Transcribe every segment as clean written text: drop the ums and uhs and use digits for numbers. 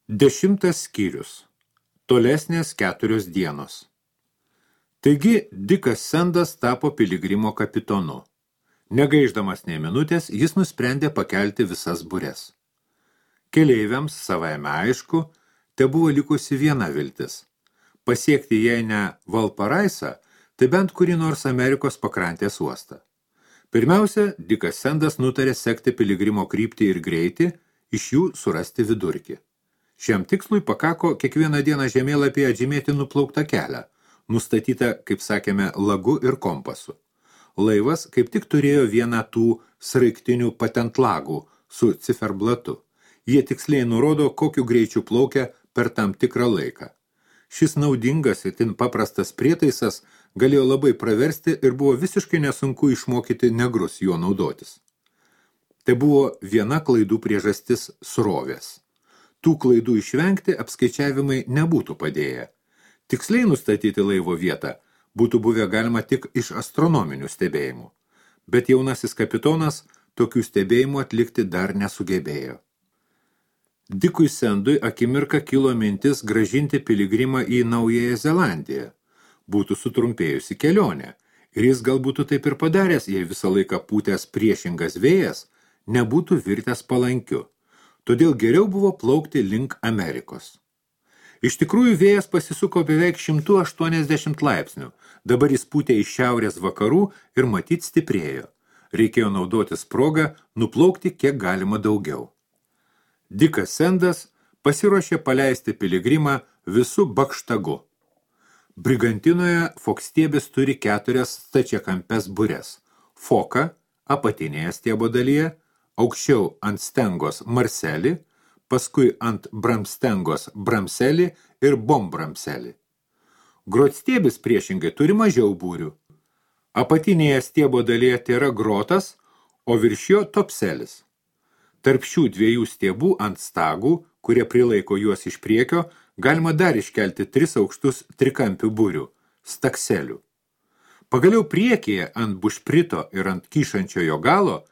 10 skyrius. Tolesnės 4 dienos. Taigi, Dikas Sendas tapo piligrimo kapitonu. Negaiždamas nei minutės, jis nusprendė pakelti visas bures. Keleiviams savaime aišku, te buvo likusi viena viltis. Pasiekti jei ne Valparaisą, tai bent kurį nors Amerikos pakrantės uostą. Pirmiausia, Dikas Sendas nutarė sekti piligrimo kryptį ir greitį, iš jų surasti vidurkį. Šiam tikslui pakako kiekvieną dieną žemėlapyje atžymėti nuplauktą kelią, nustatytą, kaip sakėme, lagu ir kompasu. Laivas kaip tik turėjo vieną tų sraigtinių patentlagų su ciferblatu. Jie tiksliai nurodo, kokiu greičiu plaukia per tam tikrą laiką. Šis naudingas itin paprastas prietaisas galėjo labai praversti ir buvo visiškai nesunku išmokyti negrus juo naudotis. Tai buvo viena klaidų priežastis srovės. Tų klaidų išvengti apskaičiavimai nebūtų padėję. Tiksliai nustatyti laivo vietą būtų buvę galima tik iš astronominių stebėjimų, bet jaunasis kapitonas tokių stebėjimų atlikti dar nesugebėjo. Dikui Sendui akimirką kilo mintis grąžinti piligrimą į Naująją Zelandiją. Būtų sutrumpėjusi kelionė, ir jis gal būtų taip ir padaręs, jei visą laiką pūtęs priešingas vėjas nebūtų virtęs palankiu. Todėl geriau buvo plaukti link Amerikos. Iš tikrųjų vėjas pasisuko beveik 180 laipsnių, dabar jis pūtė iš šiaurės vakarų ir matyt stiprėjo. Reikėjo naudotis progą nuplaukti kiek galima daugiau. Dikas Sendas pasiruošė paleisti piligrimą visų bakštagu. Brigantinoje fokstiebis turi 4 stačiakampes bures. Foka apatinėje stiebo dalyje, aukščiau ant stengos marselį, paskui ant bramstengos bramselį ir bombramselį. Grotstiebis priešingai turi mažiau būrių. Apatinėje stiebo dalyje tėra grotas, o virš jo topselis. Tarp šių 2 stiebų ant stagų, kurie prilaiko juos iš priekio, galima dar iškelti 3 aukštus trikampių būrių – stakselių. Pagaliau priekyje ant bušprito ir ant kyšančiojo galo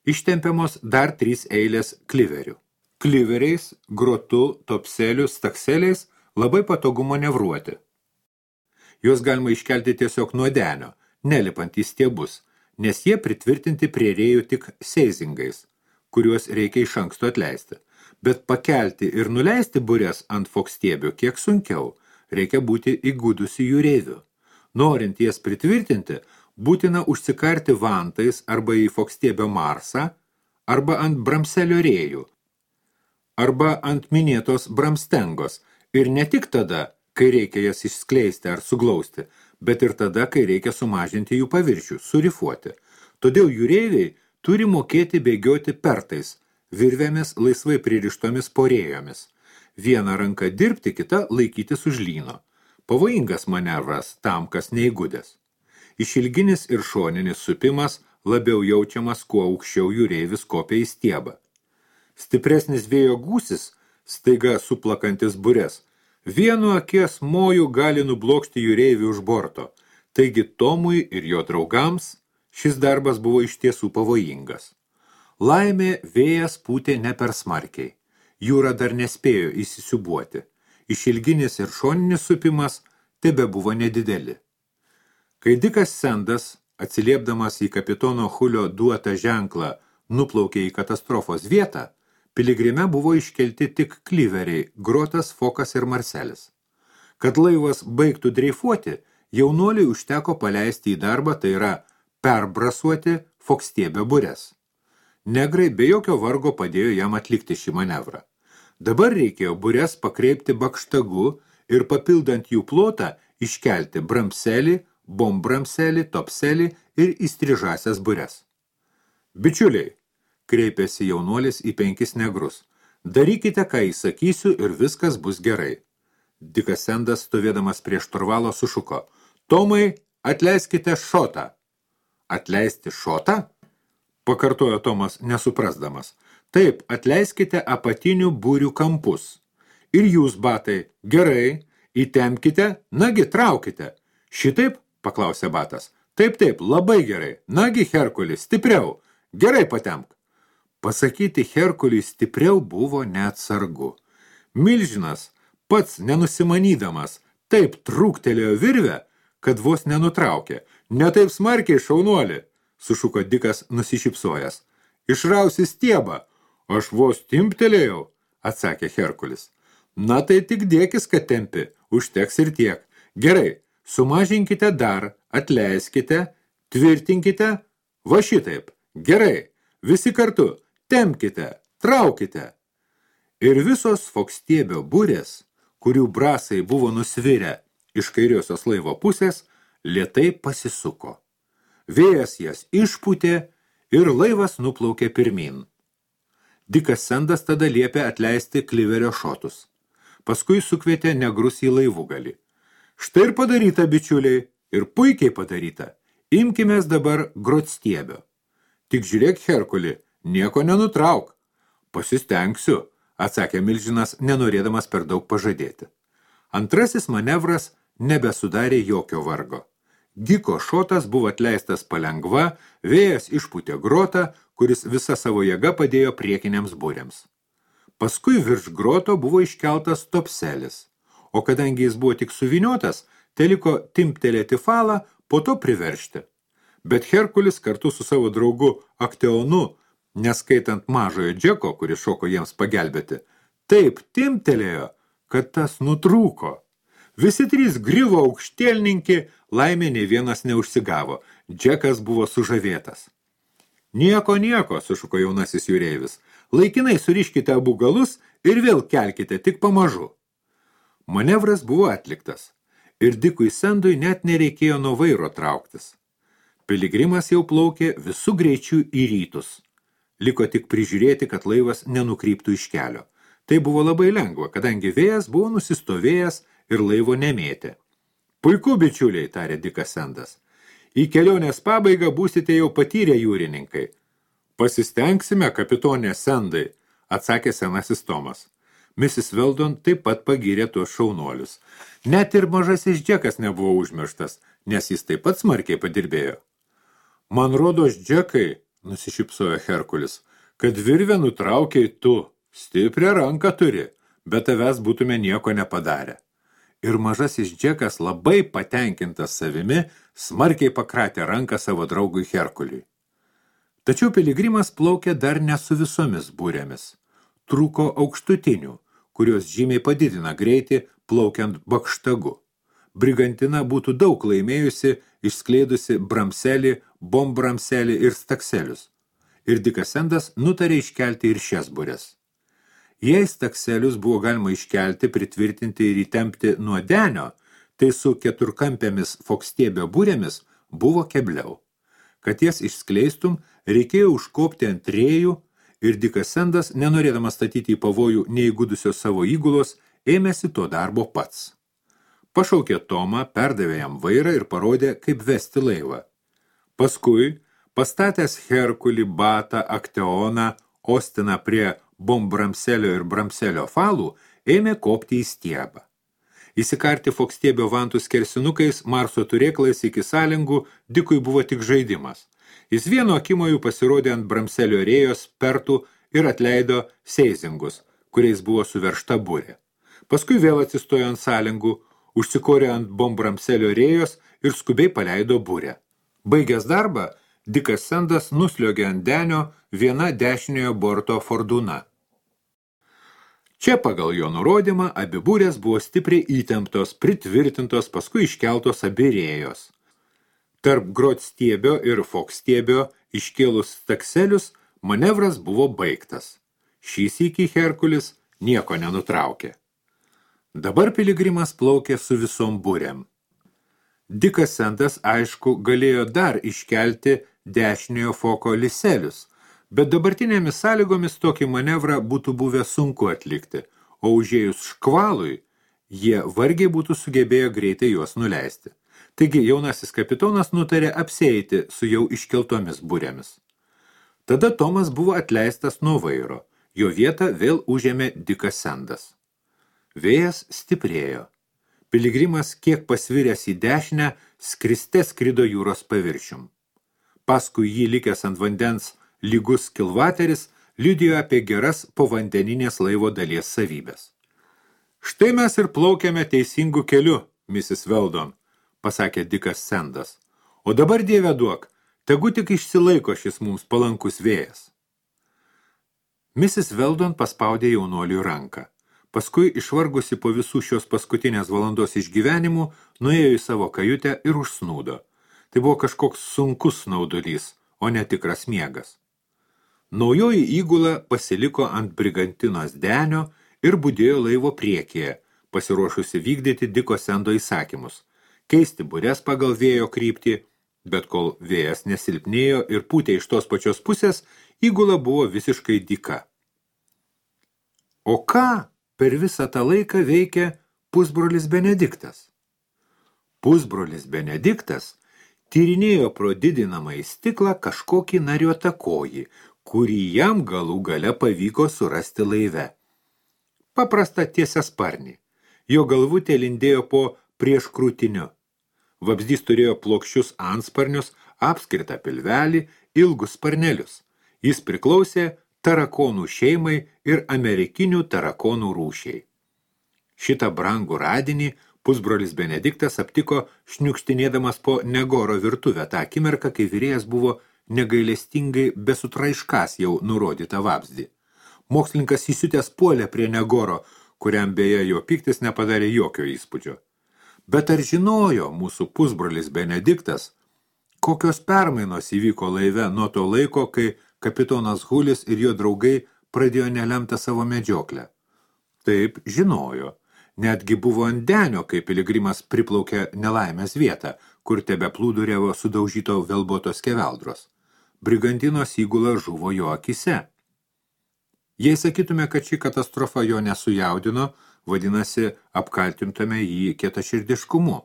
ištempiamos dar 3 eilės kliverių. Kliveriais, grotu, topselių, stakseliais labai patogu manevruoti. Juos galima iškelti tiesiog nuo denio, nelipant į stiebus, nes jie pritvirtinti prie rėjų tik seizingais, kuriuos reikia iš anksto atleisti. Bet pakelti ir nuleisti bures ant fokstiebio kiek sunkiau, reikia būti įgudusi jūreiviu. Norint jas pritvirtinti, būtina užsikarti vantais arba į fokstiebio marsą, arba ant bramselio rėjų, arba ant minėtos bramstengos, ir ne tik tada, kai reikia jas išskleisti ar suglausti, bet ir tada, kai reikia sumažinti jų paviršių, surifuoti. Todėl jūreiviai turi mokėti bėgioti pertais, virvėmis laisvai pririštomis porėjomis. Viena ranka dirbti, kita laikytis už lyno. Pavojingas manevras tam, kas neįgudęs. Išilginis ir šoninis supimas labiau jaučiamas, kuo aukščiau jūreivis kopia į stiebą. Stipresnis vėjo gūsis, staiga suplakantis bures, vienu akies moju gali nublokšti jūreivį už borto. Taigi Tomui ir jo draugams šis darbas buvo iš tiesų pavojingas. Laimė vėjas pūtė ne per smarkiai. Jūra dar nespėjo įsisiubuoti. Išilginis ir šoninis supimas tebe buvo nedideli. Kai Dikas Sendas, atsiliepdamas į kapitono Hulio duotą ženklą, nuplaukė į katastrofos vietą, piligrime buvo iškelti tik kliveriai, grotas, fokas ir marselis. Kad laivas baigtų dreifuoti, jaunuoliui užteko paleisti į darbą, tai yra perbrasuoti fokstiebio bures. Negrai be jokio vargo padėjo jam atlikti šį manevrą. Dabar reikėjo bures pakreipti bakštagu ir papildant jų plotą iškelti bramselį, bombramselį, topselį ir įstrižasias bures. Bičiuliai, kreipėsi jaunuolis į 5 negrus. Darykite, ką įsakysiu ir viskas bus gerai. Dikas Sendas, stovėdamas prie šturvalo, sušuko. Tomai, atleiskite šotą. Atleisti šotą? Pakartojo Tomas, nesuprasdamas. Taip, atleiskite apatinių būrių kampus. Ir jūs, batai, gerai, įtempkite, nagi traukite. Šitaip, paklausė batas. Taip, labai gerai. Nagi, Herkulis, stipriau. Gerai patemk. Pasakyti Herkuliui stipriau buvo neatsargu. Milžinas, pats nenusimanydamas, taip trūktelėjo virvę, kad vos nenutraukė. Ne taip smarkiai, šaunuoli, sušuko Dikas nusišypsojęs. Išrausi stiebą. Aš vos timptelėjau, atsakė Herkulis. Na tai tik dėkis, kad tempi, užteks ir tiek. Gerai, sumažinkite dar, atleiskite, tvirtinkite, va šitaip. Gerai, visi kartu, tempkite, traukite. Ir visos fokstiebio burės, kurių brasai buvo nusvirę iš kairiosios laivo pusės, lėtai pasisuko. Vėjas jas išpūtė ir laivas nuplaukė pirmin. Dikas Sendas tada liepė atleisti kliverio šotus. Paskui sukvietė negrus į laivugalį. Štai ir padaryta, bičiuliai, ir puikiai padaryta. Imkimės dabar grotstiebio. Tik žiūrėk, Herkuli, nieko nenutrauk. Pasistengsiu, atsakė Milžinas, nenorėdamas per daug pažadėti. Antrasis manevras nebesudarė jokio vargo. Diko šotas buvo atleistas palengva, vėjas išpūtė grotą, kuris visa savo jėga padėjo priekiniams būriams. Paskui virš groto buvo iškeltas topselis, o kadangi jis buvo tik suviniotas, teliko timptelėti falą, po to priveršti. Bet Herkulis kartu su savo draugu Akteonu, neskaitant mažojo Džeko, kuris šoko jiems pagelbėti, taip timptelėjo, kad tas nutrūko. Visi trys griuvo aukštielninki, laimė nei vienas neužsigavo. Džekas buvo sužavėtas. Nieko, sušuko jaunasis jūreivis. Laikinai suriškite abu galus ir vėl kelkite, tik pamažu. Manevras buvo atliktas. Ir Dikui Sendui net nereikėjo nuo vairo trauktis. Piligrimas jau plaukė visų greičių į rytus. Liko tik prižiūrėti, kad laivas nenukryptų iš kelio. Tai buvo labai lengva, kadangi vėjas buvo nusistovėjęs ir laivo nemėtė. Puiku, bičiuliai, tarė Dikas Sendas. Į kelionės pabaigą būsite jau patyrę jūrininkai. Pasistengsime, kapitonė Sendai, atsakė senasis Tomas. Mrs. Weldon taip pat pagyrė tuos šaunuolius. Net ir mažasis Džekas nebuvo užmirštas, nes jis taip pat smarkiai padirbėjo. Man rodos, Džekai, nusišypsojo Herkulis, kad virvę nutraukiai tu, stiprią ranką turi, bet tavęs būtume nieko nepadarę. Ir mažasis Džekas labai patenkintas savimi smarkiai pakratė ranką savo draugui Herkuliui. Tačiau piligrimas plaukė dar ne su visomis būrėmis. Trūko aukštutinių, kurios žymiai padidina greitį plaukiant bakštagu. Brigantina būtų daug laimėjusi, išskleidusi bramselį, bombramselį ir stakselius. Ir Dikas Sendas nutarė iškelti ir šias būres. Jei stakselius buvo galima iškelti, pritvirtinti ir įtempti nuo denio, tai su keturkampėmis fokstiebio būrėmis buvo kebliau. Kad jas išskleistum, reikėjo užkopti ant rėjų ir Dikas Sendas, nenorėdamas statyti į pavojų neįgudusios savo įgulos, ėmėsi to darbo pats. Pašaukė Tomą, perdavė jam vairą ir parodė, kaip vesti laivą. Paskui, pastatęs Herkulį, Batą, Akteoną, Ostiną prie bombramselio ir bramselio falų, ėmė kopti į stiebą. Įsikarti fokstiebio vantų skersinukais, Marso turėklais iki sąlingų, Dikui buvo tik žaidimas. Jis vieno akimojų pasirodė ant bramselio rėjos, pertų ir atleido seizingus, kuriais buvo suveršta burė. Paskui vėl atsistojo ant sąlingų, užsikorė ant bombramselio rėjos ir skubiai paleido burę. Baigęs darbą, Dikas Sendas nusliogė ant denio viena dešiniojo borto fordūna. Čia pagal jo nurodymą abi burės buvo stipriai įtemptos, pritvirtintos, paskui iškeltos abi rėjos. Tarp grotstiebio ir fokstiebio iškėlus stakselius manevras buvo baigtas. Šį sykį Herkulis nieko nenutraukė. Dabar piligrimas plaukė su visom burėm. Dikas Sendas, aišku, galėjo dar iškelti dešiniojo foko liselius, bet dabartinėmis sąlygomis tokį manevrą būtų buvę sunku atlikti, o užėjus škvalui, jie vargiai būtų sugebėję greitai juos nuleisti. Taigi jaunasis kapitonas nutarė apsieiti su jau iškeltomis burėmis. Tada Tomas buvo atleistas nuo vairo, jo vietą vėl užėmė Dikas Sendas. Vėjas stiprėjo. Piligrimas, kiek pasviręs į dešinę, skriste skrido jūros paviršium. Paskui jį likęs ant vandens lygus kilvateris liudijo apie geras povandeninės laivo dalies savybės. Štai mes ir plaukiame teisingų keliu, Mrs. Weldon, pasakė Dikas Sendas. O dabar, Dieve duok, tegu tik išsilaiko šis mums palankus vėjas. Mrs. Weldon paspaudė jaunuoliui ranką. Paskui, išvargusi po visų šios paskutinės valandos išgyvenimų, nuėjo į savo kajutę ir užsnūdo. Tai buvo kažkoks sunkus snaudulys, o ne tikras miegas. Naujoji įgula pasiliko ant brigantinos denio ir budėjo laivo priekyje, pasiruošusi vykdyti Diko Sendo įsakymus, keisti bures pagal vėjo kryptį, bet kol vėjas nesilpnėjo ir pūtė iš tos pačios pusės, įgula buvo visiškai dyka. O ką per visą tą laiką veikė pusbrolis Benediktas? Pusbrolis Benediktas tyrinėjo pro didinamąjį stiklą kažkokį nariotakojį, kurį jam galų gale pavyko surasti laive. Paprasta tiesiasparnį. Jo galvutė lindėjo po prieškrūtiniu. Vabzdys turėjo plokščius antsparnius, apskritą pilvelį, ilgus sparnelius. Jis priklausė tarakonų šeimai ir amerikinių tarakonų rūšiai. Šitą brangų radinį pusbrolis Benediktas aptiko šniukštinėdamas po Negoro virtuvę tą akimirką, kai virėjas buvo negailestingai besutraiškas jau nurodytą vabzdį. Mokslininkas įsiutęs puolė prie Negoro, kuriam beje jo piktis nepadarė jokio įspūdžio. Bet ar žinojo mūsų pusbrolis Benediktas, kokios permainos įvyko laive nuo to laiko, kai kapitonas Hulis ir jo draugai pradėjo nelemtą savo medžioklę? Taip, žinojo. Netgi buvo ant denio, kai piligrimas priplaukė nelaimės vietą, kur tebe plūduriavo sudaužyto velbotos skeveldros. Brigantinos įgula žuvo jo akise. Jei sakytume, kad ši katastrofa jo nesujaudino, vadinasi, apkaltintume jį kietaširdiškumu.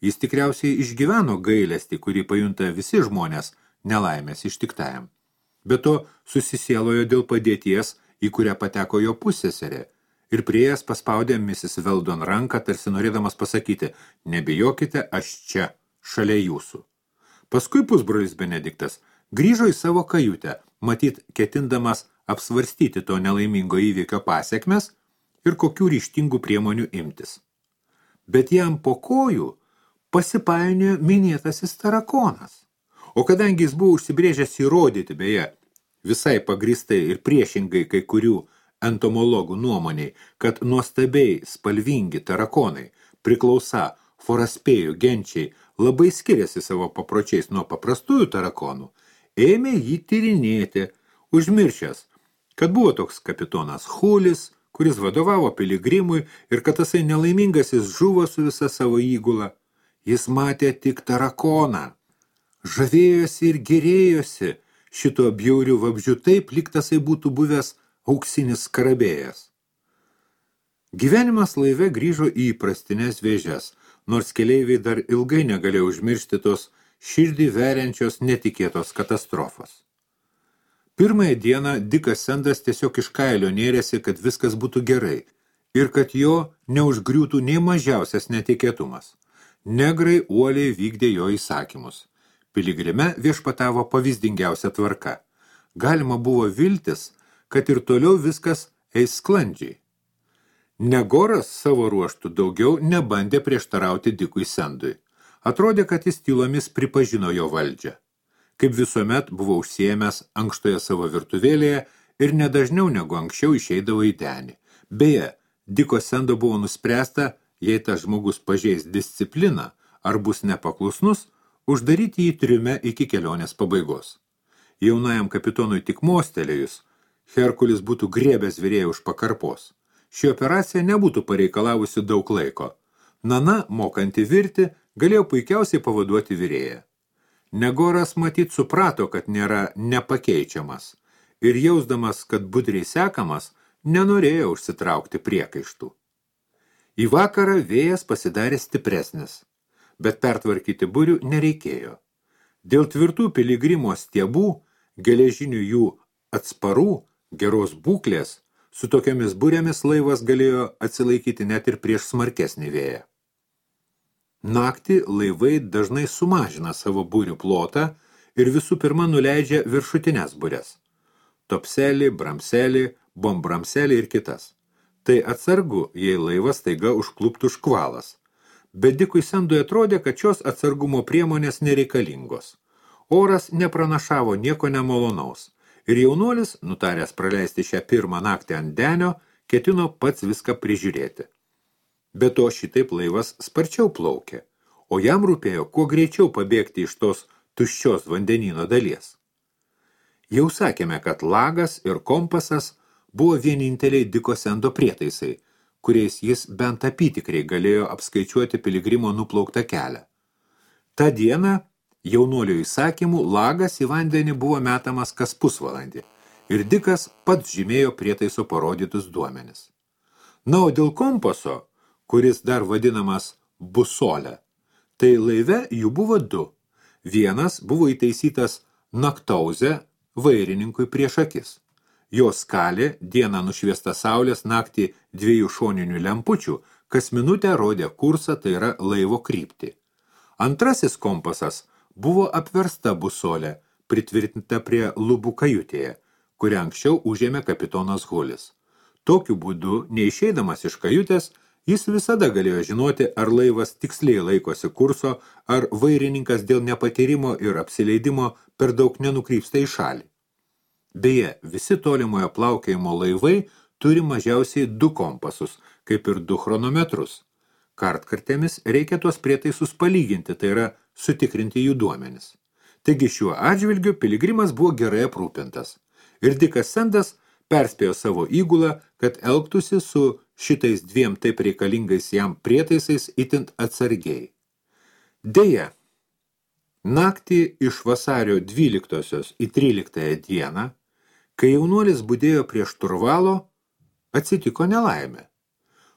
Jis tikriausiai išgyveno gailestį, kurį pajunta visi žmonės nelaimės ištiktajam. Be to susisielojo dėl padėties, į kurią pateko jo pusseserė, ir prieėjęs paspaudė Mrs. Weldon ranką, tarsi norėdamas pasakyti, nebijokite, aš čia, šalia jūsų. Paskui pusbrolis Benediktas grįžo į savo kajutę, matyt, ketindamas apsvarstyti to nelaimingo įvykio pasekmes ir kokių ryžtingų priemonių imtis. Bet jam po kojų pasipainiojo minėtasis tarakonas. O kadangi jis buvo užsibrėžęs įrodyti, beje, visai pagristai ir priešingai kai kurių entomologų nuomoniai, kad nuostabiai spalvingi tarakonai priklausa foraspėjų genčiai labai skiriasi savo papročiais nuo paprastųjų tarakonų, ėmė jį tyrinėti, užmiršęs, kad buvo toks kapitonas Hulis, kuris vadovavo piligrimui ir kad tasai nelaimingasis žuvo su visa savo įgula. Jis matė tik tarakoną. Žavėjosi ir gerėjosi šito bjaurių vabzdžių taip, lyg tasai būtų buvęs auksinis skarabėjas. Gyvenimas laive grįžo į įprastinės vėžes, nors keleiviai dar ilgai negalėjo užmiršti tos širdį veriančios netikėtos katastrofos. Pirmąją dieną Dikas Sendas tiesiog iš kailio nėrėsi, kad viskas būtų gerai ir kad jo neužgriūtų nei mažiausias netikėtumas. Negrai uoliai vykdė jo įsakymus. Piligrime viešpatavo pavyzdingiausia tvarka. Galima buvo viltis, kad ir toliau viskas eis sklandžiai. Negoras savo ruoštų daugiau nebandė prieštarauti Dikui Sendui. Atrodė, kad jis tylomis pripažino jo valdžią. Kaip visuomet buvo užsiėmęs ankštoje savo virtuvėlėje ir nedažniau negu anksčiau išeidavo į denį. Beje, Diko Sendo buvo nuspręsta, jei tas žmogus pažeis discipliną ar bus nepaklusnus, uždaryti jį triume iki kelionės pabaigos. Jaunajam kapitonui tik mostelėjus, Herkulis būtų griebęs virėją už pakarpos. Ši operacija nebūtų pareikalavusi daug laiko. Nana, mokanti virti, galėjo puikiausiai pavaduoti virėją. Negoras matyt suprato, kad nėra nepakeičiamas ir jausdamas, kad budriai sekamas, nenorėjo užsitraukti priekaištų. Į vakarą vėjas pasidarė stipresnis, bet pertvarkyti burių nereikėjo. Dėl tvirtų piligrimo stiebų, geležinių jų atsparų, geros būklės, su tokiamis burėmis laivas galėjo atsilaikyti net ir prieš smarkesnį vėją. Naktį laivai dažnai sumažina savo burių plotą ir visų pirma nuleidžia viršutines bures – topselį, bramselį, bombramselį ir kitas. Tai atsargu, jei laivas staiga užkluptų škvalas. Bet Dikui Sendui atrodė, kad šios atsargumo priemonės nereikalingos. Oras nepranašavo nieko nemalonaus. Ir jaunuolis, nutaręs praleisti šią pirmą naktį ant denio, ketino pats viską prižiūrėti. Be to šitaip laivas sparčiau plaukė, o jam rūpėjo kuo greičiau pabėgti iš tos tuščios vandenyno dalies. Jau sakėme, kad lagas ir kompasas buvo vieninteliai Diko Sendo prietaisai, kuriais jis bent apytikriai galėjo apskaičiuoti piligrimo nuplauktą kelią. Ta diena jaunuolio įsakymų lagas į vandenį buvo metamas kas pusvalandį ir Dikas pats žymėjo prietaiso parodytus duomenis. Na, o dėl kompaso, kuris dar vadinamas busolė, tai laive jų buvo du. Vienas buvo įtaisytas naktauze vairininkui prieš akis. Jo skalė, dieną nušviesta saulės, naktį 2 šoninių lempučių, kas minutę rodė kursą, tai yra laivo kryptį. Antrasis kompasas buvo apversta busolė, pritvirtinta prie lubų kajutėje, kurią anksčiau užėmė kapitonas Hulis. Tokiu būdu, neišeidamas iš kajutės, jis visada galėjo žinoti, ar laivas tiksliai laikosi kurso, ar vairininkas dėl nepatyrimo ir apsileidimo per daug nenukrypsta į šalį. Beje, visi tolimojo plaukėjimo laivai turi mažiausiai 2 kompasus, kaip ir 2 chronometrus. Kartkartėmis reikia tuos prietaisus palyginti, tai yra sutikrinti jų duomenis. Taigi šiuo atžvilgiu piligrimas buvo gerai aprūpintas. Ir Dikas Sendas perspėjo savo įgulą, kad elgtųsi su šitais 2 taip reikalingais jam prietaisais itin atsargiai. Deja, naktį iš vasario 12 į 13 dieną, kai jaunuolis budėjo prie šturvalo, atsitiko nelaimė.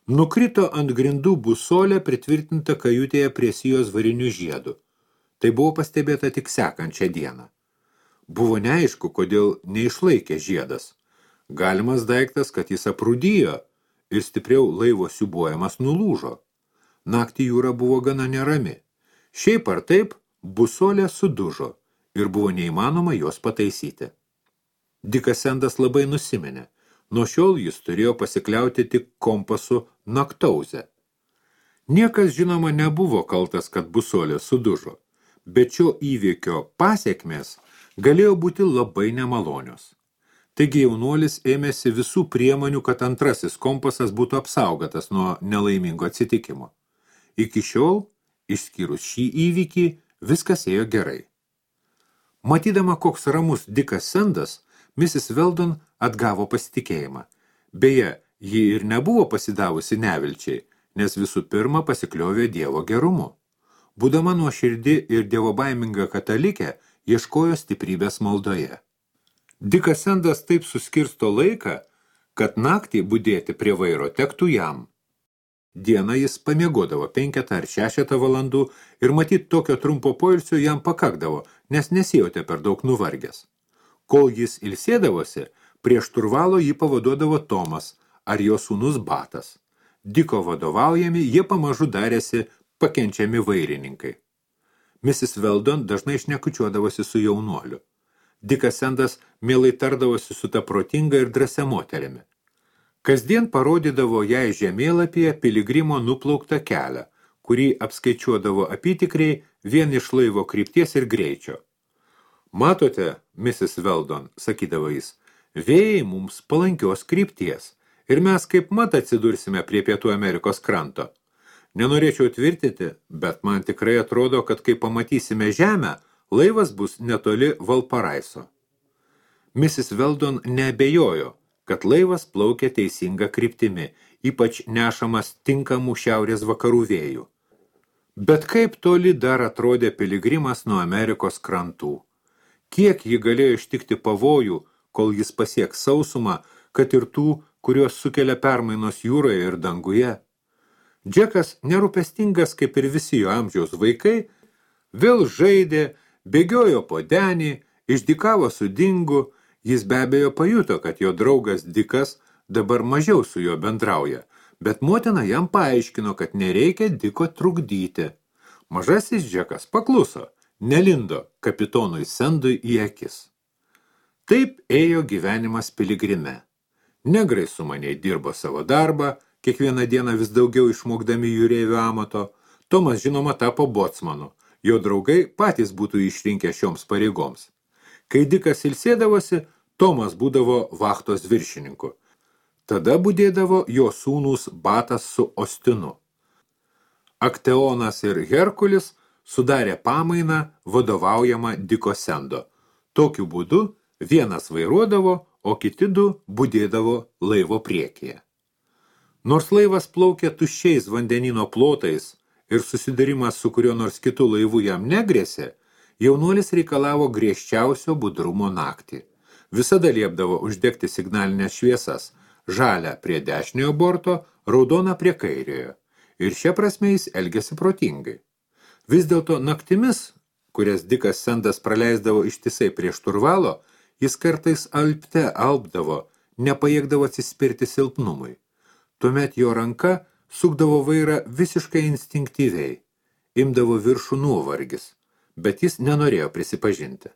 Nukrito ant grindų busolė pritvirtinta kajutėje prie sijos varinių žiedų. Tai buvo pastebėta tik sekančią dieną. Buvo neaišku, kodėl neišlaikė žiedas. Galimas daiktas, kad jis aprūdijo ir stipriau laivo siūbuojamas nulūžo. Naktį jūra buvo gana nerami. Šiaip ar taip, busolė sudužo ir buvo neįmanoma jos pataisyti. Dikas Sendas labai nusiminė. Nuo šiol jis turėjo pasikliauti tik kompasu naktauze. Niekas žinoma nebuvo kaltas, kad busolė sudužo, bet šio įvykio pasekmės galėjo būti labai nemalonios. Taigi jaunuolis ėmėsi visų priemonių, kad antrasis kompasas būtų apsaugotas nuo nelaimingo atsitikimo. Iki šiol, išskyrus šį įvykį, viskas ėjo gerai. Matydama, koks ramus Dikas Sendas, Mrs. Weldon atgavo pasitikėjimą. Beje, ji ir nebuvo pasidavusi nevilčiai, nes visų pirma pasikliovė Dievo gerumu. Būdama nuoširdi ir dievobaiminga katalikė, ieškojo stiprybės maldoje. Dikas Sendas taip suskirsto laiką, kad naktį budėti prie vairo tektų jam. Dieną jis pamiegodavo 5 ar 6 valandų ir matyt tokio trumpo poilsio jam pakakdavo, nes nesijautė per daug nuvargęs. Kol jis ilsėdavosi, prie šturvalo jį pavaduodavo Tomas ar jo sūnus Batas. Diko vadovaujami, jie pamažu darėsi pakenčiami vairininkai. Mrs. Weldon dažnai šnekučiuodavosi su jaunuoliu. Dikas Sendas mielai tardavosi su ta protinga ir drąsia moterimi. Kasdien parodydavo jai žemėlapyje piligrimo nuplauktą kelią, kurį apskaičiuodavo apytikriai vien iš laivo krypties ir greičio. Matote, Mrs. Weldon, sakydavo jis, vėjai mums palankios krypties ir mes kaip mat atsidursime prie Pietų Amerikos kranto. Nenorėčiau tvirtinti, bet man tikrai atrodo, kad kai pamatysime žemę, laivas bus netoli Valparaiso. Mrs. Weldon neabejojo, kad laivas plaukia teisinga kryptimi, ypač nešamas tinkamų šiaurės vakarų vėjų. Bet kaip toli dar atrodė piligrimas nuo Amerikos krantų? Kiek jį galėjo ištikti pavojų, kol jis pasieks sausumą, kad ir tų, kurios sukelia permainos jūroje ir danguje? Džekas, nerūpestingas kaip ir visi jo amžiaus vaikai, vėl žaidė, bėgiojo po denį, išdykavo su Dingu, jis be abejo pajuto, kad jo draugas Dikas dabar mažiau su juo bendrauja, bet motina jam paaiškino, kad nereikia Diko trukdyti. Mažasis Džekas pakluso, nelindo kapitonui Sendui į akis. Taip ėjo gyvenimas piligrime. Negrai sumaniai dirbo savo darbą, kiekvieną dieną vis daugiau išmokdami jūreivių amato. Tomas, žinoma, tapo bocmanu. Jo draugai patys būtų išrinkę šioms pareigoms. Kai Dikas ilsėdavosi, Tomas būdavo vachtos viršininku. Tada budėdavo jo sūnūs Batas su Ostinu. Akteonas ir Herkulis sudarė pamainą vadovaujamą Diko Sendo. Tokiu būdu vienas vairuodavo, o kiti du budėdavo laivo priekyje. Nors laivas plaukė tuščiais vandenino plotais ir susidarimas su kurio nors kitu laivu jam negrėsė, jaunuolis reikalavo griežčiausio budrumo naktį. Visada liepdavo uždegti signalinės šviesas, žalią prie dešiniojo borto, raudoną prie kairiojo. Ir šia prasme jis elgėsi protingai. Vis dėlto naktimis, kurias Dikas Sendas praleisdavo ištisai prie šturvalo, jis kartais alpdavo, nepajėgdavo atsispirti silpnumui. Tuomet jo ranka sukdavo vairą visiškai instinktyviai, imdavo viršų nuovargis, bet jis nenorėjo prisipažinti.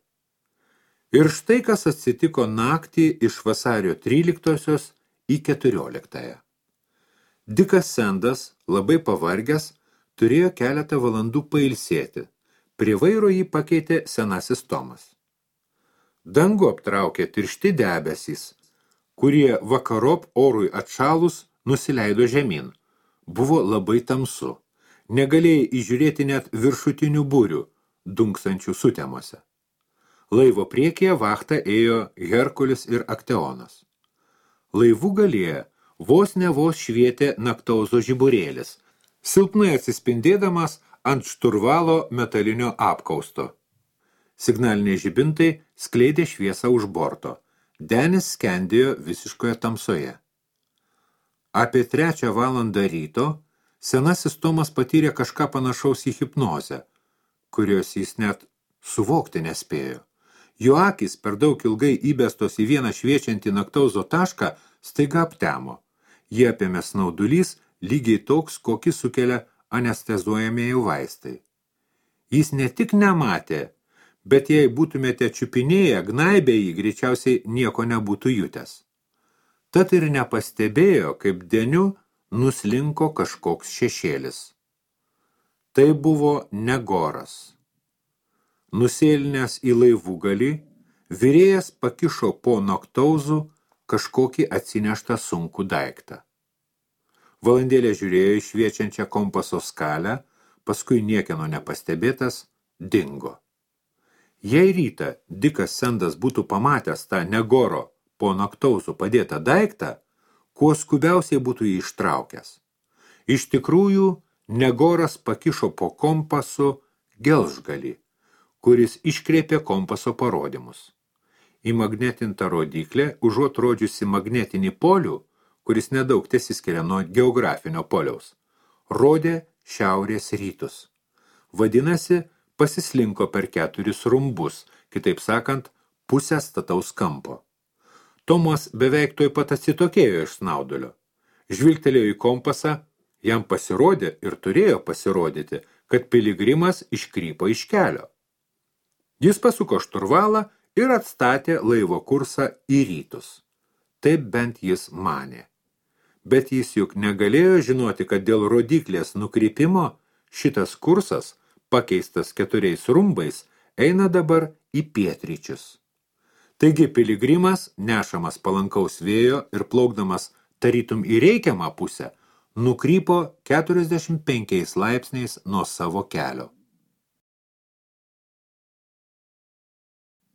Ir štai kas atsitiko naktį iš vasario 13 į 14. Dikas Sendas, labai pavargęs, turėjo keletą valandų pailsėti. Prie vairo jį pakeitė senasis Tomas. Dangų aptraukė tiršti debesys, kurie vakarop orui atšalus nusileido žemyn. Buvo labai tamsu. Negalėjai įžiūrėti net viršutinių būrių, dunksančių sutemose. Laivo priekyje vachtą ėjo Herkulis ir Akteonas. Laivų galyje vos švietė Naktauzo žiburėlis, silpnai atsispindėdamas ant šturvalo metalinio apkausto. Signaliniai žibintai skleidė šviesą už borto. Denis skendėjo visiškoje tamsoje. Apie 3 valandą ryto senasis Tomas patyrė kažką panašaus į hipnozę, kurios jis net suvokti nespėjo. Jo akys per daug ilgai įbestos į vieną šviečiantį Naktauzo tašką staiga aptemo. Jie apėmė snaudulys, lygiai toks, kokį sukelia anestezuojamieji vaistai. Jis ne tik nematė, bet jei būtumėte čiupinėję, gnaibę jį, greičiausiai nieko nebūtų jutęs. Tad ir nepastebėjo, kaip deniu nuslinko kažkoks šešėlis. Tai buvo Negoras. Nusėlinęs į laivų galį, virėjas pakišo po Naktauzų kažkokį atsineštą sunkų daiktą. Valandėlę žiūrėjo į šviečiančią kompaso skalę, paskui niekieno nepastebėtas dingo. Jei rytą Dikas Sendas būtų pamatęs tą Negoro po Naktauzų padėtą daiktą, kuo skubiausiai būtų jį ištraukęs. Iš tikrųjų, Negoras pakišo po kompasu gelžgalį, kuris iškreipė kompaso parodymus. Į magnetintą rodiklę, užuot rodžiusi magnetinį polių, kuris nedaug tesiskiria nuo geografinio poliaus, rodė šiaurės rytus. Vadinasi, pasislinko per 4 rumbus, kitaip sakant, pusę stataus kampo. Tomas beveik tuoj pat atsitokėjo iš snaudulio. Žvilgtelėjo į kompasą, jam pasirodė ir turėjo pasirodyti, kad piligrimas iškrypo iš kelio. Jis pasuko šturvalą ir atstatė laivo kursą į rytus. Taip bent jis manė. Bet jis juk negalėjo žinoti, kad dėl rodiklės nukrypimo šitas kursas, pakeistas 4 rumbais, eina dabar į pietryčius. Taigi piligrimas, nešamas palankaus vėjo ir plaukdamas tarytum į reikiamą pusę, nukrypo 45 laipsniais nuo savo kelio.